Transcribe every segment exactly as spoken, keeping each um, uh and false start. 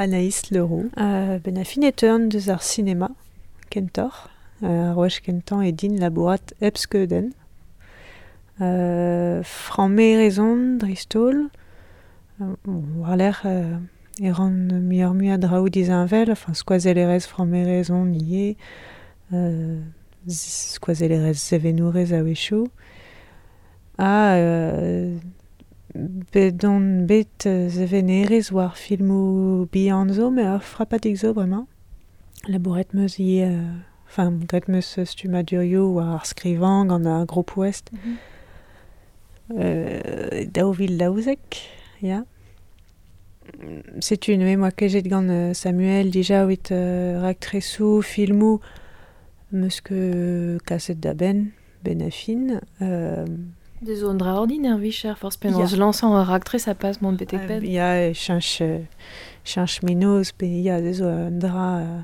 Anaïs Leroux. Euh, ben a fin e teuan deus ar sinema, kentoc'h. Euh, ar wech kentañ e din labourat hep skeudenn. Euh, Frammerezon dreist-holl. Euh, bon, war-lerc'h euh, e ran muioc'h-mui a draoù disheñvel, enfin skoazellerez frammerezon ivez, euh, skoazellerez sevenourez a-wechoù. Ha euh, bet on bet sevenerez war filmoù bihan zo, met ur frapadig zo bremañ. Labouret 'meus ivez, euh, enfin graet 'meus stummadurioù war ar skrivañ gant ar Groupe Ouest. Mm -hmm. Euh, daou vil daouzek, ya. Setu neuze 'moa kejet gant Samuel dija evit euh, raktresoù, filmoù, 'meus ket kaset da benn, benn ar fin. Euh, Deus zo un dra ordin er vicher, forzh penaos Ya. lañsañ ur raktres a pas mont betek Euh, penn. ya, cheñch, cheñch mennozh pe ya, se zo un dra... Euh,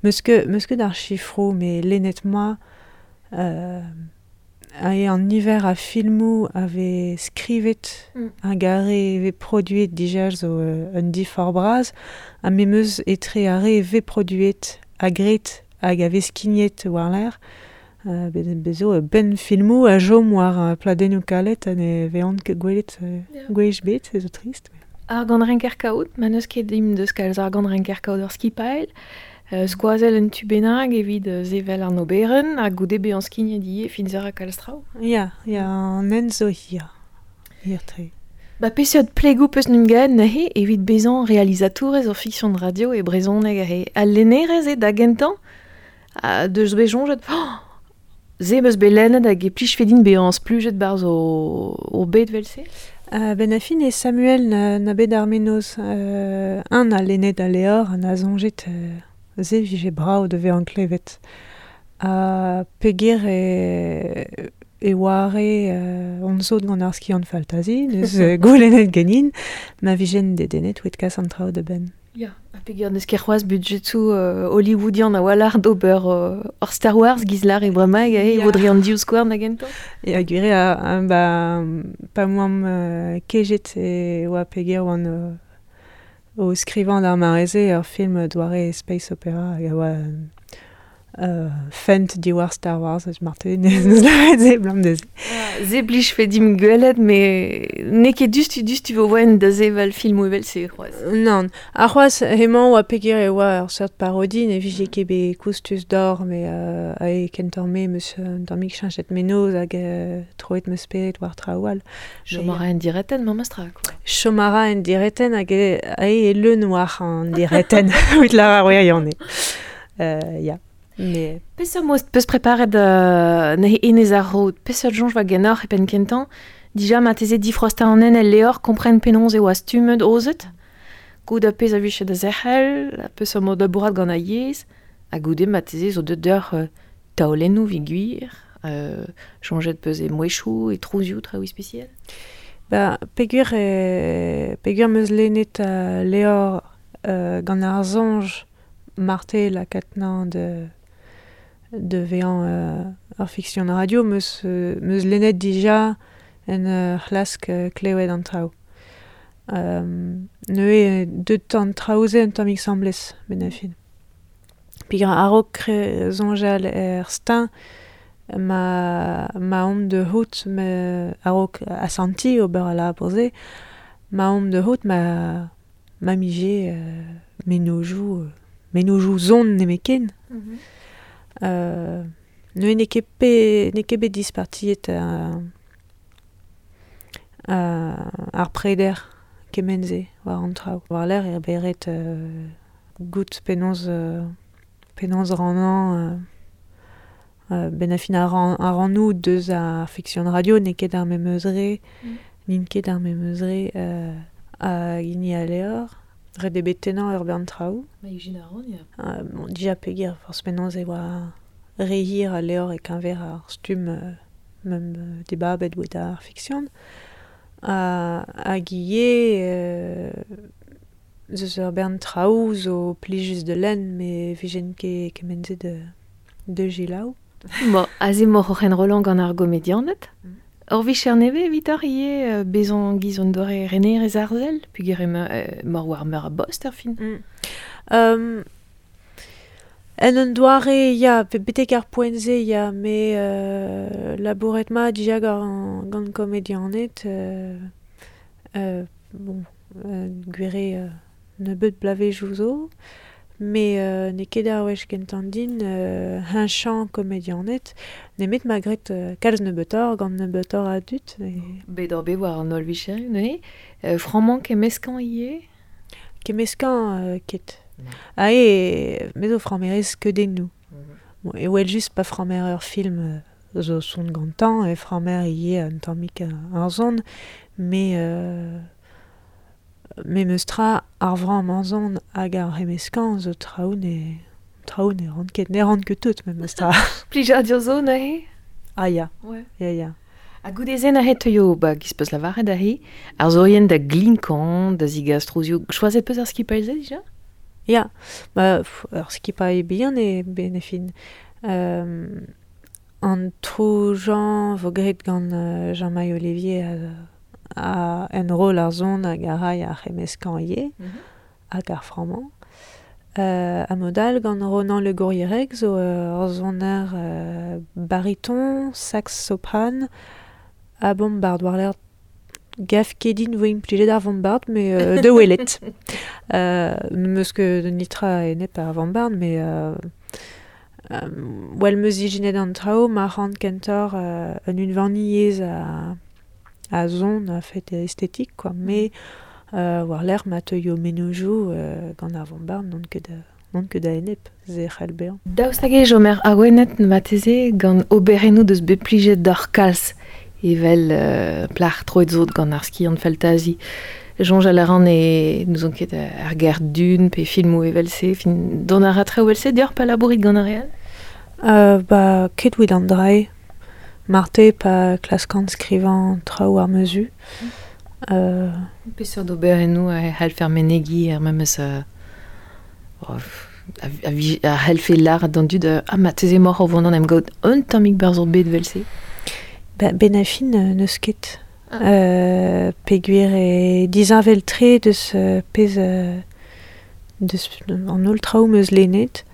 'meus ket, 'meus ket ar sifroù, met lennet 'moa euh, ae an niver a filmoù a vez skrivet Mm. hag ar re vez produet dija zo euh, un diforc'h bras, ha me 'meus etre ar re vez produet ha graet hag a vez skignet war-lerc'h, euh, bet bez zo ben filmoù a chom war uh, pladennoù kalet ha ne vezont ket gwelet euh, Ya. gwech bet, se zo trist. Ar gant renker kaout, ma n'eus ket dimp deus kalz ar gant renker kaout ur skipailh, euh, skoazell un tu bennak evit euh, sevel an oberenn, ha goude bezañ skignet ivez fin a kalz traoù. Ya, ya, an hent zo hir. Hir-tre. Ba peseurt plegoù peus n'um gaet neuze evit bezañ realizatourez ur fiksion radio e brezhoneg aze. Al lennerez eo da gentañ, ha deus bet soñjet, oh, se 'meus bet lennet hag e plijfe din bezañ splujet 'barzh o, o bed 'vel-se. Euh, ben a fin e Samuel na, na bet ar mennozh euh, un a lennet al levr ha na soñjet euh, se vije brav da vezañ klevet. Ha peogwir e, e oare euh, on sot gant ar skiant faltazi, neus euh, goulennet ganin, ma vijen dedennet oet kas an traoù da benn. Ya, ha peogwir n'eus ket c'hoazh budjetoù euh, hollywoodian a-walc'h d'ober euh, ur Star Wars giz lar e bremañ e Ya. vo dre an divskouarn da gentañ. Ya gwir eo, ha, ba, pa moamp euh, kejet e oa peogwir oan euh, o skrivañ d'ar mare-se ur film doare space opera hag a oa euh, fent diwar Star Wars, eus marteze neus neus lavaret se blam neuze. Se blijfe dimp gwelet, met n'eo ket diouzhtu diouzhtu vo oen da sevel filmoù evel-se c'hoazh. Nann, ar c'hoazh hemañ oa peogwir e oa ur seurt parodi, ne vije ket bet koustus d'or, met euh, ae kentoc'h me 'meus un tammig cheñchet mennozh hag euh, troet 'meus spered war traoù all. Chom a ra en diretenn memestra, quoi. Chom a ra en diretenn hag e, ae e leun war an diretenn, evit lavar gwirionez. Euh, ya. Mais... Peseurt mod peus preparet euh, neuze enez ar road? Peseurt soñj oa ganeoc'h e penn kentañ? Dija marteze difrostañ an hent el levr, kompren penaos e oa stummet aozet? Goût ar pezh a vije da zerc'hel, peseurt mod labourat gant ar yezh, ha goude marteze zo deuet deoc'h euh, taolennoù evit gwir, euh, soñjet peus e mouezhioù, e trouzioù, traoù ispisial? Ba, peogwir e, peogwir 'meus lennet uh, levr euh, gant ar soñj marte lakaat 'nañ de de vezañ euh, ur fiksion radio, 'meus, euh, 'meus lennet dija en ur c'hlask euh, klevet an traoù. Euh, neuze deut an traoù-se un tammig 'sambles, benn ar fin. Peogwir a-raok soñjal er steuñv, ma, ma omp da c'hoût, me a-raok asantiñ ober al labour-se, ma omp da c'hoût ma, ma 'mije euh, mennozhioù, euh, mennozhioù son nemetken. Mm -hmm. Euh, neuze n'eo ket pe, n'eo ket bet dispartiet euh, euh, ar preder kement-se war an traoù. War-lerc'h eo bet ret euh, goût penaos, euh, penaos rannañ euh, euh, benn ar fin ar ran, ar rannoù deus ar fiksion radio n'eo ket ar memes re, Mm. n'int ket ar memes re euh, hag hini al levr. Ret eo bet tennañ ur bern traoù. Ma ijin a ran, ya. Euh, bon, dija peogwir forzh penaos e oa re hir al levr e-keñver ar stumm euh, mem euh, dibabet oa ar fiksion. Ha, hag ivez euh, zeus ur bern traoù zo plijus da lenn, met vijen ket kement-se de, de selaou. Bon, aze emaoc'h oc'h enrollañ gant ar gomedianed. Mm. Ur vicher neve evitoc'h ivez bezañ giz an doare renerez arzel, peogwir emañ mor war meur a bost ar fin. Mm. Um, en un doare, ya, betek ar poent-se, ya, me euh, labouret ma dija gant, gant komedianed, euh, euh, bon, euh, gwir eo euh, nebeut bloavezhioù zo, me euh, n'eo ket ar wech kentañ din euh, heñchañ komedianed, nemet ma graet euh, kalz nebeutoc'h gant nebeutoc'h a dud. E... Bet oc'h bet war an holl vicherioù neuze, euh, frammañ kemmeskañ ivez? Kemmeskañ euh, ket. Ah e, me zo frammerez skeudennoù. Mm -hmm. Bon, e wel just pa frammer ur film zo son gantañ, e frammer ivez un tammig ar son, me euh, me meus tra ar vramm an zon hag ar c'hemmeskañ zo traoù ne traoù ne ran ket, ne ran ket tout memes tra. Plijadur zo neuze? Ah ya, Ouais. ya ya. Ha goude-se neuze teuio, ba, giz peus lavaret aze, arzourien da glinkañ, da zigas trouzioù. Choazet peus ar skipailh-se dija? Ya, ba, pff, ur skipailh bihan eo ben e fin. Euh, an troujañ vo graet gant euh, Jean-Maï Olivier a, a enroll ar zon hag a ray ar c'hemmeskañ ivez, mm -hmm. hag ar frammañ. Euh, ha mod all gant Ronan Le Gourrierec zo ur soner euh, bariton, sax sopran, ha bombard war-lerc'h gav ket din vo implijet ar vombard, mais euh, de welet. Euh, n'eus ket nitra enep ar vombard, mais euh, euh, well meus ijinet an traoù ma ran kentoc'h euh, un unvaniezh a, a zon a fet estetik, quoi. Mais euh, war-lerc'h ma teuio mennozhioù euh, gant ar vombard n'on ket da, n'on ket da enep, se c'hell bezañ. Daoust hag e chomer awenet marteze gant oberennoù deus bet plijet d'ar kalz evel euh, plac'h troet zo gant ar skiant faltazi. Soñjal a ran e n'ouzon ket ar ger dun pe filmoù evel-se, fin dont a ra traoù evel-se deoc'h pa labourit gant ar re all? Euh, ba, ket evit an dra-se. Marte pa klaskan skrivañ traoù ar mezu. Mm. Euh... Peseurt oberennoù a c'hallfer menegiñ ar memes euh, oh, a, a, a c'hallfe lâret d'an dud euh, ah marteze emaoc'h o vont en em gaout un tammig barzh ur bed evel-se? Ba, ben a fin euh, n'eus ket. Ah. Euh, peogwir e disheñvel-tre deus euh, pezh euh, deus an holl traoù 'm eus lennet.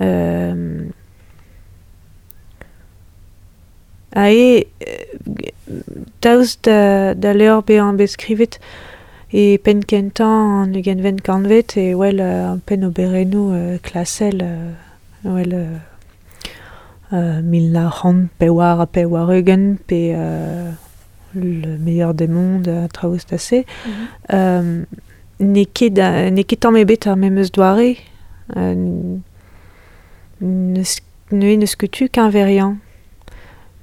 Euh, ha eo, daoust da, da levr bezañ bet skrivet e penn kentañ an ugentvet kantved e wel euh, an penn oberennoù euh, klasel euh, wel euh, euh, mil nav c'hant pevar ha pevar-ugent pe euh, le meilleur des mondes a traoù stase. Mm -hmm. Euh, n'eo ket n'eo ket tamm ebet ar memes doare. Euh, n'eus n'eus ket tu keñveriañ.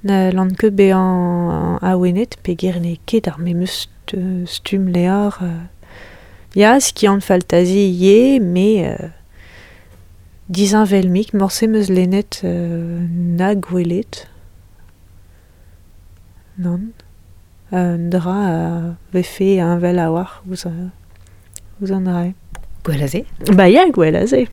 Na lan ket bezañ awenet peogwir n'eo ket ar memes stumm levr. Ya, skiant faltazi ivez, mais euh, disheñvel-mik, morse 'm eus lennet euh, na gwelet. Nann. Un dra a vefe heñvel a-walc'h ouzh, ouzh an dra-se. Gwell a se? Ba ya, gwell a se.